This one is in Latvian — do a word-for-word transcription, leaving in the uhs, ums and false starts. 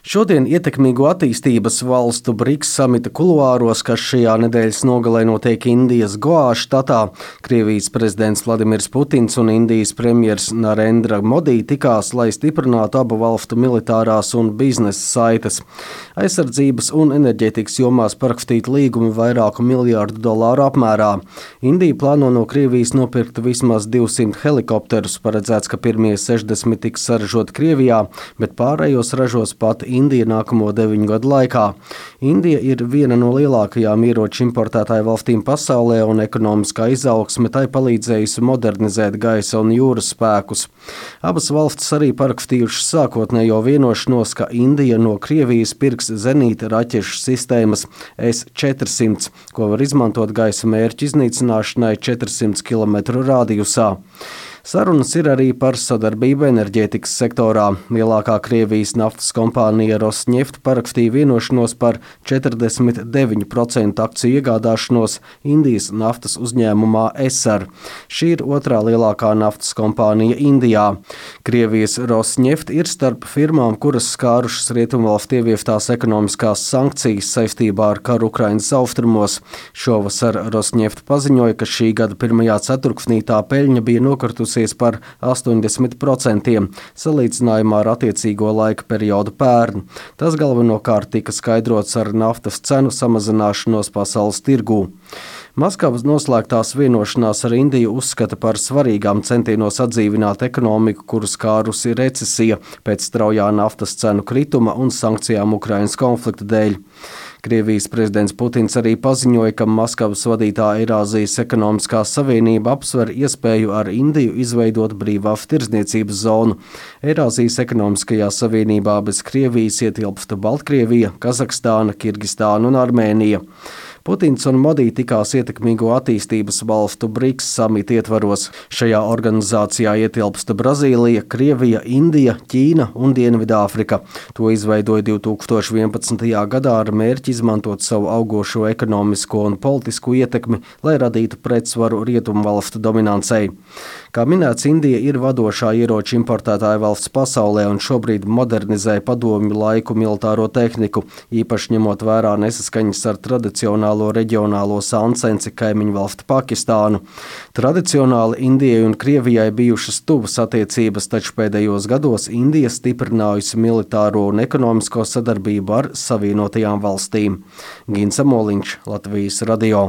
Šodien ietekmīgo attīstības valstu BRICS samita kuluāros, kas šajā nedēļas nogalē notiek Indijas Goā štatā, Krievijas prezidents Vladimirs Putins un Indijas premjers Narendra Modi tikās, lai stiprinātu abu valstu militārās un biznesa saites. Aizsardzības un enerģētikas jomās parakstīt līgumi vairāku miljārdu dolāru apmērā. Indija plāno no Krievijas nopirkt vismaz divsimt helikopterus, paredzēts, ka pirmie sešdesmit tiks saražoti Krievijā, bet pārējos ražos pat Indija nākamo deviņu gadu laikā. Indija ir viena no lielākajām ieroču importētāju valstīm pasaulē, un ekonomiskā izaugsme tai palīdzējusi modernizēt gaisa un jūras spēkus. Abas valstis arī parakstījušas sākotnējo vienošanos, ka Indija no Krievijas pirks zenīta raķešu sistēmas S četrsimt, ko var izmantot gaisa mērķu iznīcināšanai četrsimt kilometru rādijusā. Sarunas ir arī par sadarbību enerģētikas sektorā. Lielākā Krievijas naftas kompānija Rosneft parakstīja vienošanos par četrdesmit deviņu procentu akciju iegādāšanos Indijas naftas uzņēmumā Essar. Šī ir otrā lielākā naftas kompānija Indijā. Krievijas Rosneft ir starp firmām, kuras skārušas rietumvalstu ievieftās ekonomiskās sankcijas saistībā ar karu Ukrainas austrumos. Šovasar Rosneft paziņoja, ka šī gada pirmajā ceturksnī tā peļņa bija nokritusi par astoņdesmit procentiem, salīdzinājumā ar attiecīgo laika periodu pērn. Tas galvenokārt tika skaidrots ar naftas cenu samazināšanos pasaules tirgū. Maskavas noslēgtās vienošanās ar Indiju uzskata par svarīgām centienos atdzīvināt ekonomiku, kuru skārusi recesija pēc straujā naftas cenu krituma un sankcijām Ukrainas konflikta dēļ. Krievijas prezidents Putins arī paziņoja, ka Maskavas vadītā Eirāzijas ekonomiskā savienība apsver iespēju ar Indiju izveidot brīvās tirdzniecības zonu. Eirāzijas ekonomiskajā savienībā bez Krievijas ietilpsta Baltkrievija, Kazahstāna, Kirgistāna un Armēnija. Putins un Modi tikās ietekmīgo attīstības valstu BRICS samita ietvaros. Šajā organizācijā ietilpsta Brazīlija, Krievija, Indija, Ķīna un Dienvidāfrika. To izveidoja divi tūkstoši vienpadsmitajā gadā ar mērķi izmantot savu augošo ekonomisko un politisku ietekmi, lai radītu pretsvaru rietumvalstu dominancei. Kā minēts, Indija ir vadošā ieroču importētāja valsts pasaulē un šobrīd modernizē padomju laiku militāro tehniku, īpaši ņemot vērā nesaskaņas ar tradicionālo reģionālo sancenci kaimiņu valsti Pakistānu. Tradicionāli Indijai un Krievijai bijušas tuvas attiecības, taču pēdējos gados Indija stiprinājusi militāro un ekonomisko sadarbību ar Savienotajām valstīm. Gins Amoliņš, Latvijas radio.